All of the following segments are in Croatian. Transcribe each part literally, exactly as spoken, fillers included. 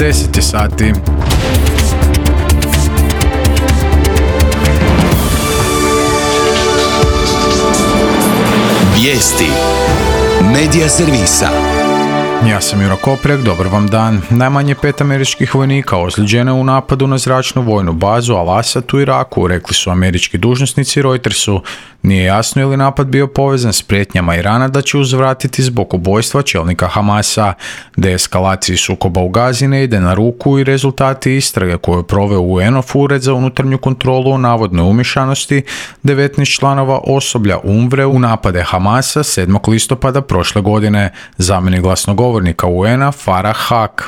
deset je sati. Vijesti Medija servisa. Ja sam Juro Koprek, dobar vam dan. Najmanje pet američkih vojnika ozlijeđeno u napadu na zračnu vojnu bazu Al-Asad u Iraku, rekli su američki dužnosnici Reutersu. Nije jasno je li napad bio povezan s prijetnjama Irana da će uzvratiti zbog ubojstva čelnika Hamasa. Deeskalaciji sukoba u Gazi ne ide na ruku i rezultati istrage koju je proveo U N-ov ured za unutarnju kontrolu o navodnoj umješanosti devetnaest članova osoblja UNRWA u napade Hamasa sedmog listopada prošle godine. Zamjenik glasnogovornika U N-a Farah Haq.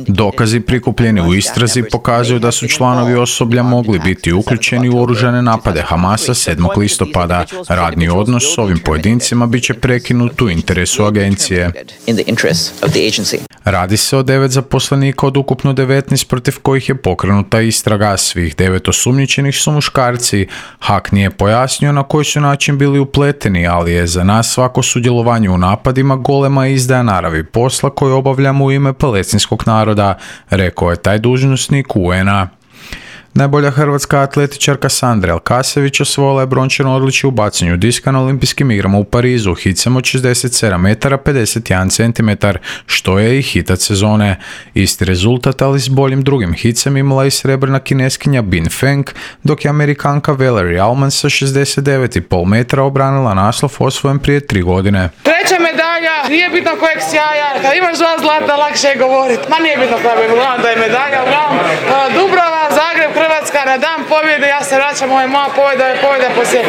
Dokazi prikupljeni u istrazi pokazuju da su članovi osoblja mogli biti uključeni u oružane napade Hamasa sedmog listopada. Radni odnos s ovim pojedincima bit će prekinut u interesu agencije. Radi se o devet zaposlenika od ukupno devetnaest protiv kojih je pokrenuta istraga. Svih devet osumnjičenih su muškarci. Haq nije pojasnio na koji su način bili upleteni, ali je za nas svako sudjelovanje u napadima golema izdaja naravi posla koju obavljamo u ime palestinskog naroda, rekao je taj dužnosnik U N-a. Najbolja hrvatska atletičarka Sandra Elkasević osvojila je brončano odličje u bacanju diska na olimpijskim igrama u Parizu hicem od šezdeset sedam metara pedeset jedan centimetar, što je i hitac sezone. Isti rezultat, ali s boljim drugim hicem, imala i srebrna kineskinja Bin Feng, dok je Amerikanka Valerie Allman sa šezdeset devet zarez pet metara obranila naslov osvojen prije tri godine. Treća medalja, nije bitno kojeg sjaja, kad imaš dva zlata lakše je govoriti. Ma nije bitno koja je, uglavnom da je medalja, uglavnom Dubrava, Zagreb, Hrvatska na dan pobjede, ja se vraćam, ovo je moja pobjeda, je pobjeda poslije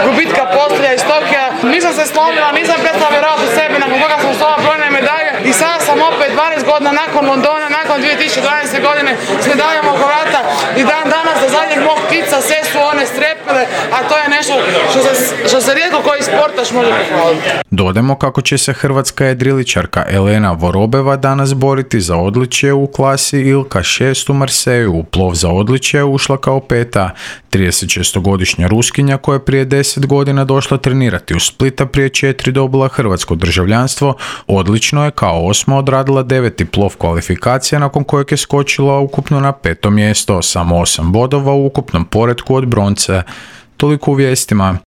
gubitka postolja iz Tokija. Nisam se slomila, nisam prestala vjerovati u sebe, nakon toga sam osvojila brojne medalje i sada sam opet dvanaest godina nakon Londona, nakon dvije tisuće dvanaeste. godine s medaljama oko vrata i dan danas za zadnjeg mog kica sve su one strepile, a to je nešto što se, što se rijetko koji sportaš može pohvaliti. Dodajmo kako će se hrvatska jedriličarka Elena Vorobeva danas boriti za odličje u klasi Ilka šest u Marseju. U plov za odličje ušla kao peta. tridesetšestogodišnja Ruskinja koja je prije deset godina došla trenirati u Splita, prije četiri dobila hrvatsko državljanstvo, odlično je kao osma odradila deveti plov kvalifikacija nakon kojeg je skočila ukupno na peto mjesto, samo osam bodova u ukupnom poretku od bronce. Toliko u vijestima.